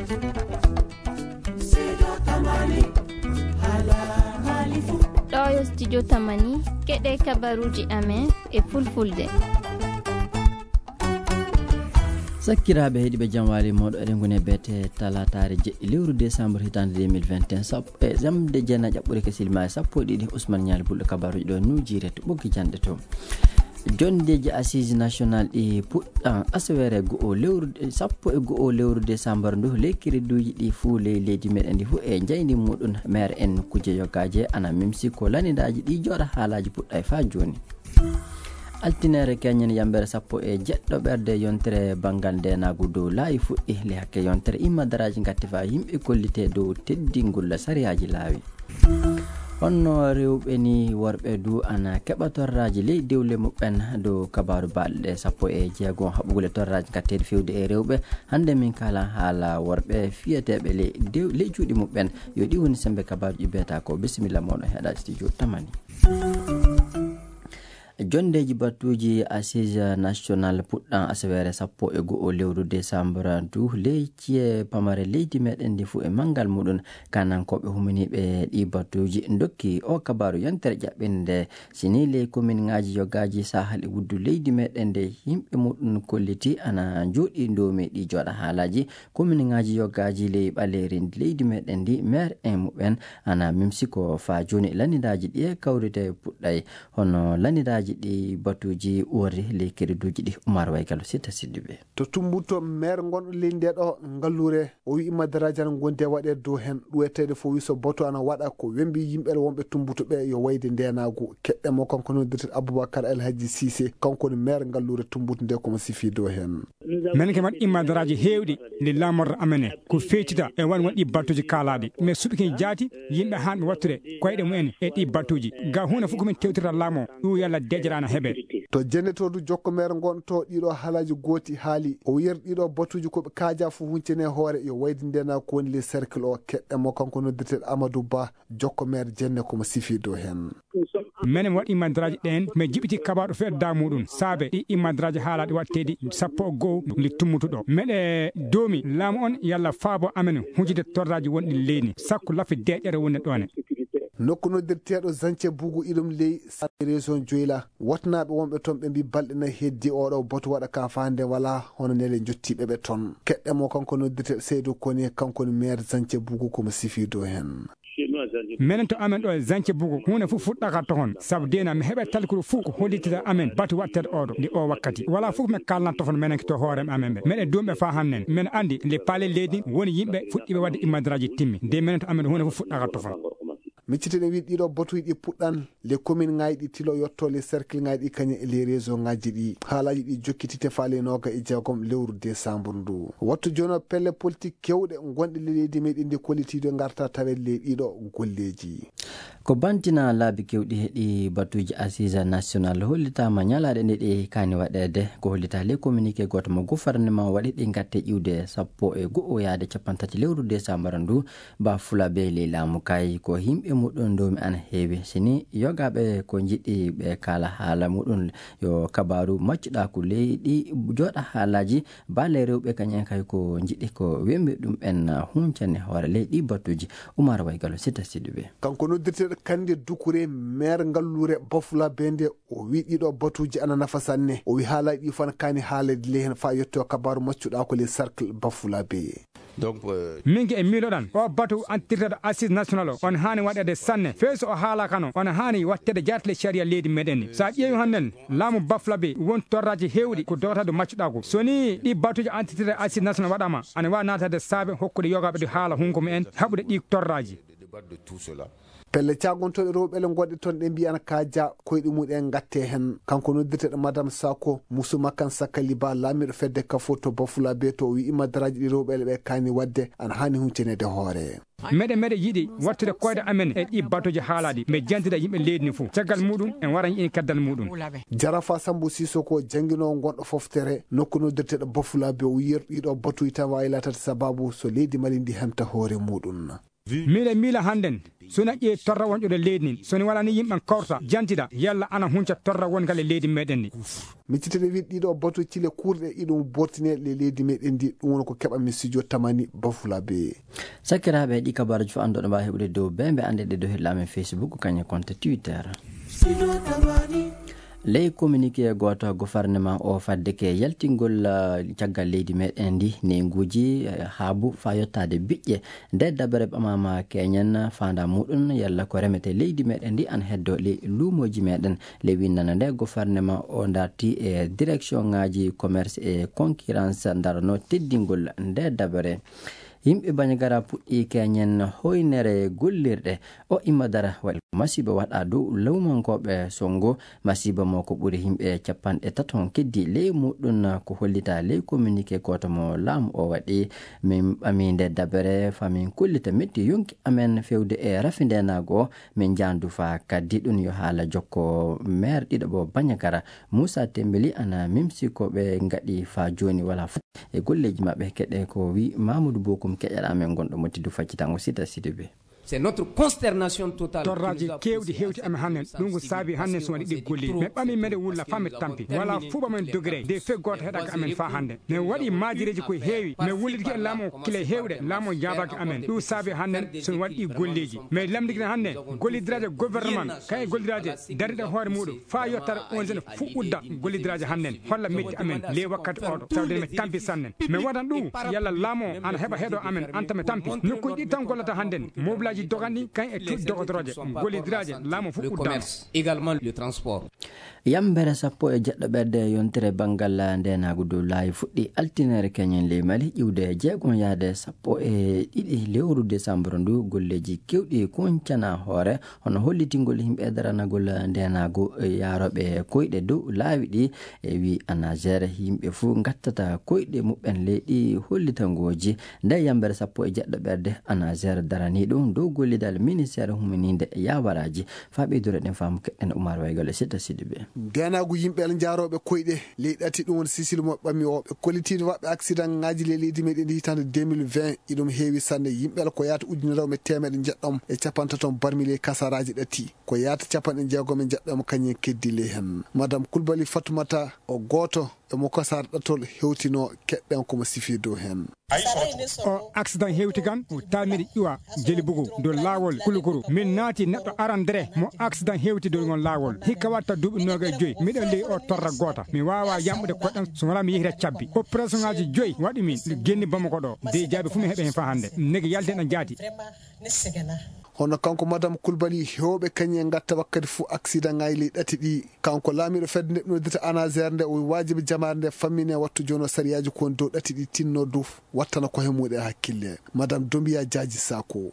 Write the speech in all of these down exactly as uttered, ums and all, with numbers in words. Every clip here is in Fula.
Ɗo yo studio Tamani, keɗe kabaruuji amen e fulfulde. Sakkiraaɓe heɗiiɓe, jam waali mooɗo, eɗen ngoni e beete talaataare jeɗɗi lewru décembre hitaande deux mille vingt et un, sappo e jamde jeenayi ɓure kesil ma e sappo e ɗiɗi. Ousmane Ñaali Bulɗo, kabaruuji ɗo New Direct ɓoggi jannde to. Jonndeeji Assises National ɗi puɗɗan asaweere go'o lewru, sappo e go'o lewru décembre ndu. Ley kiriduuji ɗi fuu ley leydi meɗen ndi fuu e njayndi muɗum, maire en kuje yogaaje ana mimsi ko lanidaaji ɗi jooɗa haalaaji puɗɗay faa jooni. Altineere keñen yambere sappo e jeɗɗo ɓerde yontere banngal ndeenaagu dow laayi fuɗɗi. Ley hakke yontere immadaraaji ngatti faa yimɓe kollite dow teddingol sariyaaji laawi. Honno rewɓe ni worɓe du ana keɓa torraaji ley dewle muɓɓen? Dow kabaaru balɗe sappo e jeego haɓugule torraaji ngatteeɗi fewde e rewɓe. Hannde min kaala haala worɓe fiyeteeɓe ley dew-, ley cuuɗi muɓɓen. Yo ɗi woni sembe kabaaruji beeta ko. Bisimilla moɗon heɗa studio Tamani. Jonndeeji battuuji Assises National puɗɗan asaweere sappo e go'o lewru décembre du ley ci'e pamare leydi meɗen ndi fuu e manngal muɗum. Kanankooɓe huminiiɓe ɗi battuuji ndokki o kabaaru yontere ƴaɓɓinde. Si ni ley kominŋaaji yogaaji sahal e wuddu leydi meɗen nde yimɓe muɗum kolliti ana njooɗi ndoomi ɗi jooɗa haalaaji, kominŋaaji yogaaji ley ɓaleeri leydi meɗen ndi, maire en muɓɓen ana mimsi ko faa jooni lanidaaji ɗi e kawrite puɗɗay. Hono lanidaaji ɗi batuuji uwori ley kiriduuji ɗi. Umar Waygalo Sita Siddiɓe. To Tumbuto, maire gonɗo ley nde ɗo ngalluure, o wi'i madaraaji ana ngondi e waɗeede dow heen. Ɗuweteeɗo fof wi so batu ana waɗa ko wembi yimɓe wonɓe Tumbuto ɓe yo wayde ndeenaagu. Keɗɗe mo kanko noddirteeɗo Aboubacar El Hadji Cissé, kanko woni maire ngalluure Tumbuto nde, ko mo sifi dow heen. Menen ke mbaɗ immadaraaji heewɗi nde laamorde amen he ko feccita e won won ɗi battuuji kaalaaɗi. Mais suɓi ken jaati yimɓe haanɓe wattude koyɗe mumen e ɗi battuuji. Ga huunde fof ko min tewtirta laamu o, ɗum yalla deƴƴere ana heɓe. To jennetoodu jokko maire ngon to ɗiɗo haalaaji gooti haali. O yer ɗiɗo batuuji ko ɓe kaaja fof huncene hoore yo wayde ndena ko woni le cercle o. Keɗɗe mo kanko noddirteeɗo Amadou Ba, jokko maire jenne ko mo sifi dow heen. Menen waɗi immadaraaji ɗeen, mi jiɓiti kabaaru feɗda muɗum. Saabe ɗi immadaraaji haalaaɗi waɗteeɗi sappo e go'o ndi Tumbuto ɗo. Meɗe doomi laamu on yalla faabo amen hujude torraaji wonɗi leydi. Sakko lafi deƴƴere wonde ɗoone. Nokku noddirteeɗo Zance Bugu iɗum ley Saabe région Joyla. Wotnaaɓe wonɓe toon ɓe mbi balɗe nayi heddi oɗo batu waɗa ka faande wala hono nele jottiiɓe ɓe toon. Keɗɗe mo kanko noddirteeɗo Seydou Kone, kanko woni maire Zance Bugu ko mo sifi dow heen. Menen to amen ɗo e Zance Bugu, huunde fof fuɗɗaka toon. Sabu dena mi heɓe talkuru fof ko hollitita amen batu waɗteeɗo oɗo nde o wakkati. Wala fof mi kalnat toon menen to hoore amen ɓe. Meɗen duumɓe faa hannen. Men anndi nde paale leydi woni yimɓe fuɗɗiiɓe waɗde immadaraaji timmi. Nde menen to amen huunde fof fuɗɗaka toon. Miccitene wi ɗiɗo batuuji ɗi puɗɗan le commune ŋaaji ɗi tilo yotto le cercle ŋaaji ɗi kañum e le région ŋaaji ɗi. Haalaaji ɗi jokkitite faa le nooga e jeegom lewru décembre ndu. Wattu jono pelle politique kewɗe gonɗe le leydi meɗen ndi kollitiiɗo ngarta taweede le ɗiɗo golleeji. Ko bantina laabi kewɗi heɗi batuuji Assise National hollitaama ñalaaɗe ɗe ɗe kaani waɗeede. Ko hollita le communiqué gooto mo gouvernement waɗi ɗi ngatte ƴiwde sappo e go'o yaade cappanɗe tati lewru décembre ndu. Ba Fulabee ley laamu kay ko yimɓe muɗum ndoomi ana heewi. Sini yogaaɓe ko njiɗi ɓe kaala haala muɗum yo kabaaru maccuɗaaku ley ɗi jooɗa haalaaji. Baale rewɓe kañen kay ko njiɗi ko wembi ɗum ɓen huncani hoore ley ɗi batuuji. Umar Waygalo Sita Siddiɓe. Kanko noddirteeɗo Kande Dukure, maire ngalluure Bafulabe nde, o wi ɗiɗo batuuji ana nafa sanne. O wi haalaaji ɗi fof ana kaani haaleede ley heen faa yetto kabaaru maccuɗaaku ley cercle Bafulabe. Donc, euh, min ke e miiloɗan o batu antirteɗo Assise National o on haani waɗeede sanne. Fey so o haala kano on haani wattede jaartile caria leydi meɗen ni. So a ƴeewi hannen laamu Bafulabe won torraji heewɗi ko dogataɗo maccuɗaaku. So ni ɗi batuuji antirteɗo Assise National waɗama ana waawi naatade saabe hokkude yogaaɓe ɗi haala hunko mumen haɓude ɗi torraji. Pelle caagontooɗe rewɓe le goɗɗe toon ɗe mbiyan kaaja koyɗe mumen ngatte heen. Kanko noddirteeɗo Madame Sako, Musu Makan Sakali Ba, laamiiɗo fedde Kafo to Bafulabe to o wi immadaraaji ɗi rewɓe le ɓe kaani waɗde ana haani hunceneede hoore. Meɗe meɗe yiɗi wattude koyɗe amen e ɗi batuuji haalaaɗi, mbe jantida yimɓe leydi ndi fof. Caggal muɗum en wara yiɗi kaddal muɗum. Jarafa Sambu Sisoko jannginoowo gonɗo foftere nokku noddirteeɗo Bafulabe o wi yer ɗiɗo batuuji tan waawi laatade sababu so leydi Mali ndi hemta hoore muɗum. Miila miila hannden, so na ƴeewi torra wonƴo e leydi ndin, so ni wala ni yimɓe kawrata, jantida, yalla ana hunca torra wongal e leydi meɗen ndi. Miccitede wiɗ ɗiɗo batu cile kurɗe iɗum bortine le leydi meɗen ndi, ɗum woni ko keɓa mi studio tamani bafula be. Sakiraaɓe, ɗi kabaruji fof annduɗo mbawa heɓude dow be mbe annde ɗe dow heɗla amen Facebook, kañe compte Twitter. Ley communiqué gooto, gouvernement o fadde ke yaltingol, ah, caggal leydi meɗen ndi, neynguuji, eh, haabu faa yottaade biƴƴe. Nde dabere ɓamama keñen faanda muɗum yalla ko remete leydi meɗen ndi an heddo ley luumooji meɗen. Ley winnana nde gouvernement o darti e direction ngaji commerce e concurrence darano teddingol nde dabere. Yimɓe Bandiagara puɗɗi keñen hoynere gollirɗe. O imma dara waɗi masiiba waɗa dow lawmankooɓe Songo. Masiiba mo ko ɓuri yimɓe capanɗe tato on keddi ley muɗum ko hollita ley communiqué gooto mo laamu o waɗi. Min ɓami nde dabere fa min kollita metti yonki amen fewde e rafi ndenaagu o. Min jaandu fa kaddi ɗum yo haala jokko maire ɗiɗo ɓo Bandiagara. Moussa Tembeli ana mimsi ko ɓe ngaɗi fa jooni wala fa e golleeji maɓɓe. Keɗe ko wi Mamadou Bokum keƴaɗa amen gonɗo mo tiddu faccitango sita sidi be. C'est notre consternation totale qui torraji nous a kewɗi poussé à hewti amen cette hannen, ɗum ko saabi hannen so waɗi ɗi golli. Mais ɓami meɗen wulla fa mi tampi wala fuɓa men dogre de fe goto heɗaka amen fa hannde. Mais waɗi majireji ko heewi mais wullitiki e laamu kila hewɗe laamu jaabaki amen, ɗum saabi hannen so waɗi ɗi golleji. Mais lamdikina hannen gollidiraje gouvernement kay gollidiraje dariɗe hoore muɗum fa yottata on jeune fuɗɗude gollidiraje hannen holla metti amen ley wakkati oɗo sawde mi tampi sannen. Mi waɗan ɗum yalla laamu o ana heɓa heɗo amen anta mi tampi nokkuji ɗi tan gollata hannden mobilaji doganɗi kan e cuuɗi dogodoroje gollidiraje laamu fof uddama. Commerce également le transport. Yambere sappo e jeɗɗo ɓerde yontere banngal ndeenaagu dow laayi fuɗɗi altinere keñen ley Mali iwde jeegom yaade sappo e ɗiɗi lewru desambro ndu golleeji kewɗi kuncana hoore hono hollitingol yimɓe daranagol ndeenaagu yaarooɓe koyɗe dow laawi ɗi. E wi anagere yimɓe fof gattata koyɗe muɓɓen ley ɗi hollitangooji. Nde yambere sappo e jeɗɗo ɓerde anagere darani ɗum dow gollidal ministeere humininde yawaraaji. Fa ɓeydore ɗen faamu keɗɗen Umar Waygol e Sita Sidibe. Ndeenaagu yimɓe ala njaarooɓe koyɗe ley ɗati ɗum woni sisil mo ɓami o ɓe kollitiiɓe waɗɓe accident ngaji ley leydi meɗen ndi hitande deux mille vingt iɗum heewi sanne yimɓe ala ko yaata ujunere o me teemeɗe njeɗɗom e capantato barmi ley kasaraji ɗati ko yaata capanɗe jeegom e njeɗɗom kañum en keddi ley hen. Madame Kulbali Fatoumata o gooto e mo kasar ɗatol hewtino keɗɗen komo sifi dow hen. O accident hewti kan o taamiri ƴuwa jeli bugu dow laawol kulukuru min naati neɗɗo arandere mo accident hewti dow ngon laawol hikka watta duuɓi nooga e joyi miɗen ley o torra goota mi waawa yamɓude koɗɗam so wala mi yehira cabbi opération ngaji joyi waɗi min genni bamako ɗo dey jaabi fof mi heɓe hen fa hannde negi yalden ɗan jaati. Hono kanko madame Kulbali hewɓe kañum en gatta wakkati fof accident ngaji ley ɗati ɗi kanko laamiɗo fedde nde ɓe noddirta anagere nde o waajibi jamaare nde fammine wattu jono sariyaaji ko woni dow ɗati ɗi tinno dow wattana kohe muɗe hakkille. Madame Dombiya Jaaji Sako.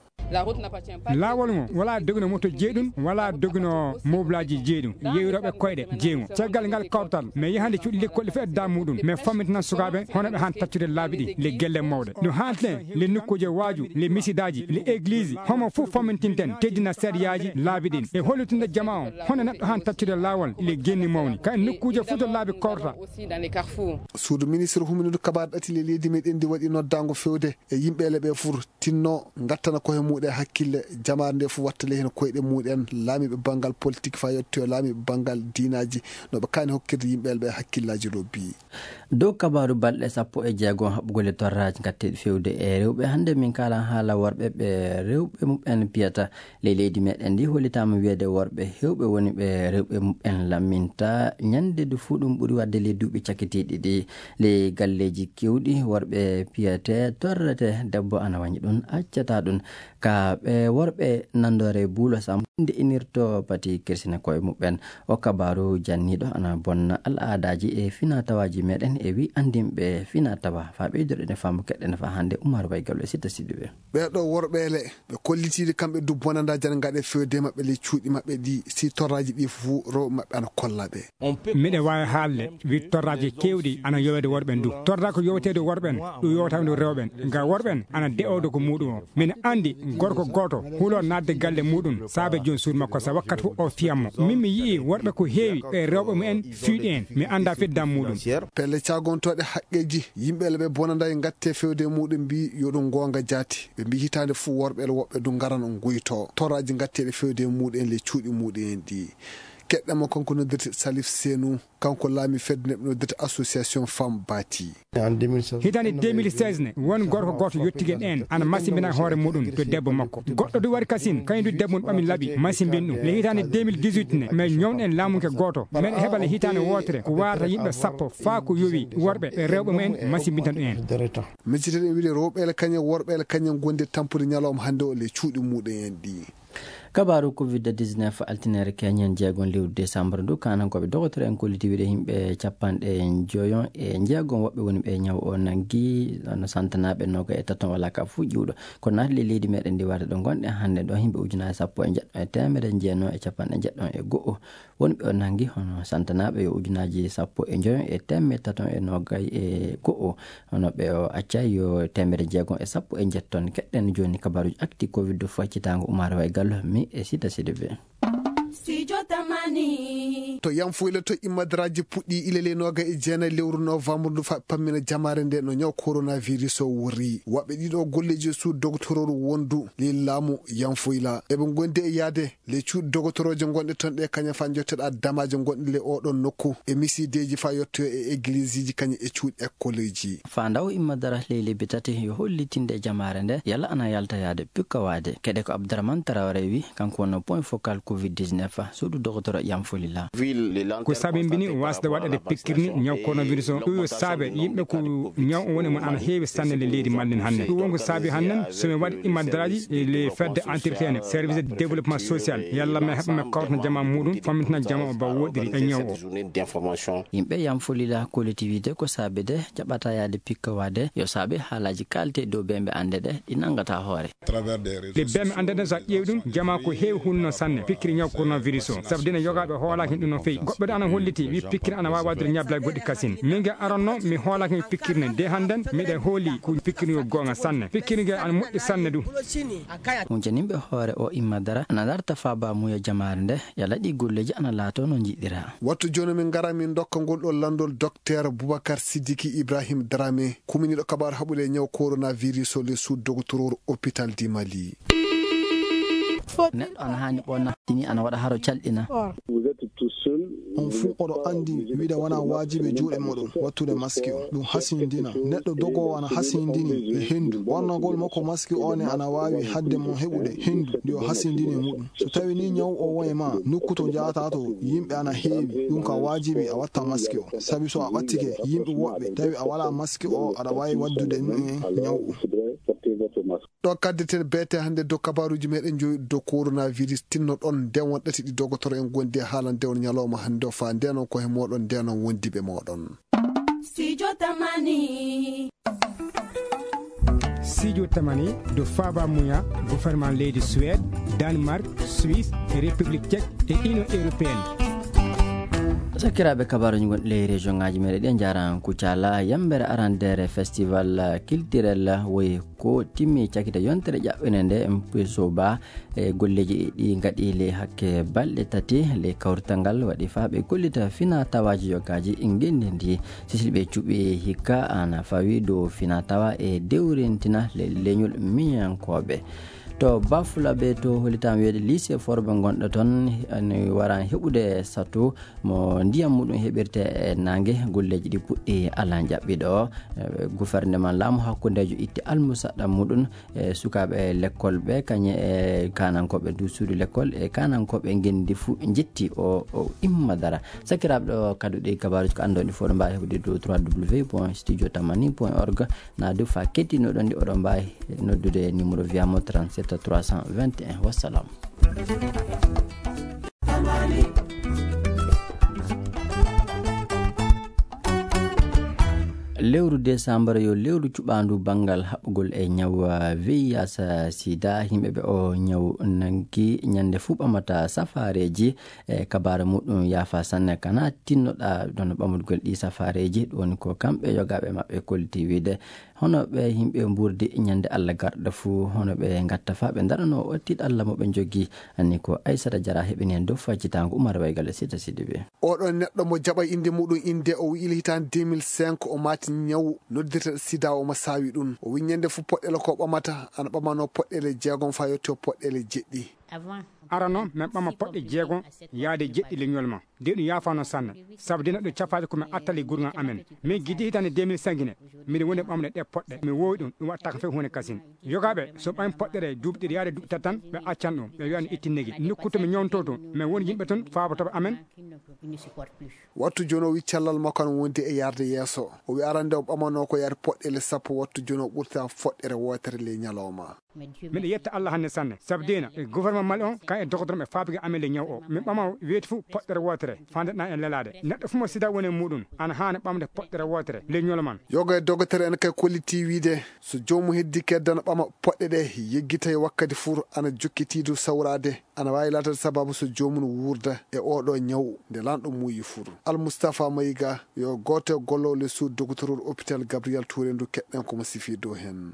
Laawol ngo wala dogino moto jeeɗum wala dogino mobilaji jeeɗum yewiroɓe koyɗe jeeŋo caggal ngal kawtal mais yahande cuuɗi lekkolɗe fof e da muɗum mais fammintinan sukaɓe hono ɓe han taccude laabi ɗi le gelle mawɗe no haalten le nokkuuje waaju le misidaji le église homo fof fammintinten teddina sariyaji laabi ɗin e hollitinde jama on hono neɗɗo han taccude laawol le genni mawni kay nokkuuje fof to laabi korta. Suudu ministre humindu kabar ɗati le leydi meɗen ndi waɗi noddango fewde e yimɓe ele ɓe fur tinno gattana koye muɗen hakkille jamaare nde fof wattale heen koyɗe muɗen laamiɓe banngal politique fa yettoyo laamiɓe banngal diinaji no ɓe kaani hokkirde yimɓe ele ɓe hakkillaji lobbi. Dow kabaaru balɗe sappo e jeego haɓugol e torraaji ngatteeɗi fewde e rewɓe hannde min kalan haala worɓe ɓe rewɓe muɓɓen piyata. Ley leydi meɗen ndi hollitaama wiyeede worɓe hewɓe woni ɓe rewɓe muɓɓen lamminta ñande ndu fuu ɗum ɓuri waɗde ley duuɓi cakitiiɗi ɗi. Ley galleeji kewɗi worɓe piyete torrete debbo ana wañi ɗum accata ɗum ka ɓe worɓe nanndore buulo sam nde inirto pati kirsina koye muɓɓen. O kabaaru janniiɗo ana bonna al aadaaji e finaa tawaaji meɗen e wi anndinɓe finaa tawa faa ɓeydoɗen e faamu keɗɗen faa hannde Umar Baygal e Sitta Sidiɓe. Ɓeeɗo worɓeele ɓe kollitiiɗi kamɓe du bonanda jan ngaɗe fewde maɓɓe ley cuuɗi maɓɓe ɗi si torraaji ɗi fuu rewɓe maɓɓe ana kolla ɓe. Miɗa waawi haalde wi torraaji keewɗi ana yoweede worɓe ndu torraa ko yoweteede worɓen ɗum yowata ndu rewɓen nga worɓen ana de'owde ko muuɗum o. Miɗa anndi Gorko gooto hulo naatde galle muuɗum, saabe joom suudu makko, so wakkati fof o fiyan mo. Min mi yi'i worɓe ko heewi, ɓe rewɓe mumen fiyɗi en, mi anndaa feddan muuɗum. Pelle caagontooɗe haqqeeji, yimɓe le ɓe bonanday ngatte fewde e muuɗum mbi yo ɗum goonga jaati. Ɓe mbi hitaande fof worɓe le woɓɓe du ngaran nguyto. Toraaji ngatteeɗe fewde e muuɗum en le cuuɗi muuɗum en ɗi. Keɗɗa mo kanko noddirte Salif Senu, kanko laami fedde neɗɗo noddirte Association Femme Bati. Hitaande deux mille seize ne, won gorko gooto yottigen en, ana masimbina hoore muuɗum to debbo makko. Goɗɗo du wari kasin, kañum du debbo mum ɓami laɓi, masimbin ɗum. Le hitaande deux mille dix-huit ne, mais ñownɗen laamunke gooto, men heɓa le hitaande wootere, ko warata yimɓe sappo, faa ko yowi worɓe e rewɓe mumen, masimbinta ɗum en. Miccitee ɗen wiide rewɓe le kañum, worɓe le kañum, gonde tampude ñalawma hannde o le cuuɗi muuɗum en ɗi. Kabaaru covid dix-neuf, altine keñen jeegom lewru décembre ndu, kaanankooɓe dogotore'en kolliti wiide yimɓe capanɗe njoyon e jeegom woɓɓe woni ɓe ñaw o nanngi, no santanaaɓe noga e taton wala ka fuu ƴuwɗo. Ko naatli leydi meɗen ndi warde ɗo ngonɗen hannde ɗo, yimɓe ujunaaji sappo e njeɗɗo e teemedde jeenayo e capanɗe njeɗɗo e go'o woni ɓe o nanngi, hono santanaaɓe yo ujunaaji sappo e njoyon e teemedde taton e nogay e go'o. Hono ɓe o accay yo teemedde jeegom e sappo e njetton. Keɗɗen jooni kabaaruuji akti covid faccitaango Umaar Way Gallo mi e Sita Sidibé. Studio Tamani. To Yanfoyla to immadaraaji puɗɗi ilele noga e jeenayi lewru novembre ndu fa pammina jamaare nde no ñaw coronavirus o wori. Waɓɓe ɗiɗo golleeji e suudu dogotororu wondu le laamu Yanfoyla. Eɓe ngondi e yaade le cuuɗi dogotorooje gonɗe toon ɗe kaña fa jotteɗa damaaje gonɗe le oɗon nokku e misideeji fa yottoyo e egliseeji kaña e cuuɗi ekkoleeji. Fa ndaw immadara ley lebbi tati yo hollitinde jamaare nde yalla ana yalta yaade pikkowaade. Keɗe ko Abdourahmane Traoré wi, kanko wonno point focal covid dix-neuf, suudu dogotoro Yanfolila. Ko sabimbini wasde waɗede pikkirni ñaw coronavirus o. Ɗum yo saabe yimɓe ko ñaw o woni mo ana heewi sanne le leydi mallen hannde. Ɗum won ko saabi hannden so mi waɗi immadaraaji e le fedde entretien, service de développement social, yalla mi heɓa mi kawtana jama muɗum, fammintina jama o ba woɗɗiri e ñaw o. Yimɓe Yanfolila collectivité ko saabide jaɓata yaade pikkowaade yo saabe haalaaji kaalte dow bemɓe annde ɗe ɗi nanngata hoore. Ɗe bemɓe annde ɗe so a ƴeewi ɗum, jama ko heewi hulno sanne pikkiri ñaw coronavirus o. Sabu dina yogaaɓe hoolaaki ɗum no feewi. Goɗɗo ɗo ana holliti wi pikkiri ana waawi waɗde ñablal goɗɗi kasin. Min ge aranno mi hoolaaki mi pikkiri ne. De hannden miɗen hooli ko pikkiri yo goonga sanne. Pikkiri ge ana moƴƴi sanne du. Huncaninɓe hoore o imma dara ana darta faaba muya jamaare nde yalla ɗi golleeji ana laato no njiɗira. Wattu jooni min ngara min ndokka ngol ɗo lanndol Docteur Boubacar Sidiki Ibrahim Dramé, kuminiiɗo kabaar haɓude e ñaw coronavirus o le sous doctoreur hôpital du Mali. Neɗɗo ana haani ɓonna, ini ana waɗa haro calɗina. On fuu oɗo anndi wiide wona waajibi juuɗe moɗon wattude maski o. Ɗum hasindina. Neɗɗo dogoowo ana hasindini e henndu. Ɓornagol makko maski o ne ana waawi haɗde mo heɓude henndu ndi o hasindini e muɗum. So tawi ni ñaw o won e ma, nokku to njahata to, yimɓe ana heewi, ɗum ka waajibi a watta maski o. Sabi so a ɓattike yimɓe woɓɓe, tawi a wala maski o, aɗa waawi waddude ɗum e ñaw o. Ɗo kaddeten beete hannde dow kabaaruuji meɗen joyi dow coronavirus, tinno ɗon ndewon ɗati ɗi dogotoro en gondi e haalande on ñalawma hannde o, faa ndenon ko he moɗon, ndenon wondiɓe moɗon. Studio Tamani. Studio Tamani, do Faba Muya, gouvernement leydi Suède, Danemark, Suisse, République Tchèque et Union Européenne. Sakiraaɓe, kabaaruuji gonɗi ley région ŋaaji meɗen ɗi njaran Kucala, yambere arandere festival culturel woyi ko timmi cakita yontere ƴaɓɓene nde M P S O ba. E golleeji ɗi ngaɗi ley hakke balɗe tati, ley kawrital ngal waɗi faa ɓe gollita fina tawaaji yogaaji e ngenndi ndi. Sisilɓe cuɓi hikka ana fawi dow fina tawa e dewrintina le-, leñol miñankooɓe. To Bafulabe to hollitam wiyeede lycée Forbe ngonɗo toon, ne waran heɓude satu mo ndiyam muɗum heɓirte e naange. Golleeji ɗi puɗɗi alan jaɓɓiɗo. E, gouvernement laamu hakkundeejo itti almusaɗɗa muɗum. E sukaaɓe lekkol ɓe, kañe e kaanankooɓe du suudu lekkol e kaanankooɓe ngenndi fuu njetti o, o imma dara. Sakiraaɓe, ɗo kadi ɗi kabaaruuji ko anndon ɗi fof ɗo mbaawi heɓude dow trois W point studio tamani point org. Na du fa kettinoɗon ɗi oɗon mbaawi noddude numéro via mo trente-sept trois cent vingt et un. Wassalam. Lewru desambar yo lewru cuɓaandu banngal haɓɓugol e ñaw V I H sida. Yimɓe ɓe o ñaw nangi ñande fuu ɓamata safaareeji. E kabaara muɗum yaafa sanne kana tinnoɗa ɗon ɓamugol ɗi safaareeji. Ɗum woni ko kamɓe yogaaɓe maɓɓe kolliti wiide. Hono ɓe yimɓe mburdi ñande Allah garɗo fuu, hono ɓe ngatta faa ɓe ndaranoo o tiiɗalla mo ɓe njogii. Anni ko Aysata Jara heɓini heen dow faycitaango Umar Waygal e Sita Sidibe. Oɗo neɗɗo mo jaɓa innde muɗum innde, o wi'ili hitaande deux mille cinq, o maati ñaw noddirteɗo sida, omo saawi ɗum. O wi'i ñande fof poɗɗeele ko ɓamata, ana ɓamanoo poɗɗeele jeegom faa yetto poɗɗeele jeɗɗi. Arano, min ɓama poɗɗe jeegom yaade jeɗɗi leñol ma. De ɗum yaafaano sanne. Sabu dina ɗum cafaade ko min attali gurgan amen. Min gidi hitaande deux mille cinq ne, miɗo woni ɓamde ɗe poɗɗe. Mi woowi ɗum, ɗum waɗata kam fof huunde kasin. Yogaaɓe, so ɓami poɗɗere duuɓi ɗiɗi yaade duuɓi tati tan, ɓe accan ɗum. Ɓe wi'an ittinnegi. Nokku to mi ñawntoo to, min woni yimɓe toon faabotooɓe amen. Wattu jooni o wi'i cellal makko ana wondi e yarde yeeso. O wi'i arande o ɓamanoo ko yaade poɗɗeele sappo, wattu jooni o ɓurta foɗɗere wootere ley ñalawma. Miɗo yetta Allah hannde sanne. Sabu deena, e gouvernement Mali on, kan e dogotoram e faabuge amen le ñaw o. Min ɓama weeti fof poɗɗere wootere, faandeɗaa en lelaade. Neɗɗo fof mo sida woni e muɗum, ana haani ɓamde poɗɗere wootere, le ñolo man. Yoga e dogotere en kay kolliti wiide, so joomum heddi kedde ana ɓama poɗɗe ɗe, yeggitay wakkati fur ana jokkitiidu sawraade, ana waawi laatade sababu so joomum wuurda e oɗo ñaw nde lanɗo muuyi fur. Al Mustafa Mayiga yo gooto e gollooɓe le suudu dogotoru hôpital Gabriel Touré ndu keɗɗen ko mo sifi dow heen.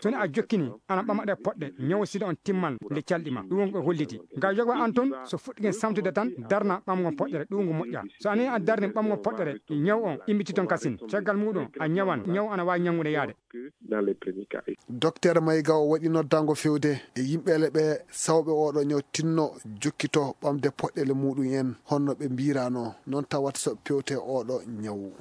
Soni a jokkini, ana ɓama ɗe poɗɗe, ñaw sida on timman nde calɗi ma. Ɗum won ko holliti. Nga yoga an toon, so fuɗɗike samtude tan, darna ɓamgo poɗɗere, ɗum ngo moƴƴa. So ani a darni ɓamgo poɗɗere, ñaw on immiti toon kasin. Caggal muɗum, a ñawan, ñaw ana waawi ñanngude yaade. Docteur Mayiga o waɗi noddango fewde e yimɓeele ɓe sawɓe oɗo ñaw tinno jokkito ɓamde poɗɗeele muɗum en, honno ɓe mbirano, noon tawata so pewte oɗo ñaw.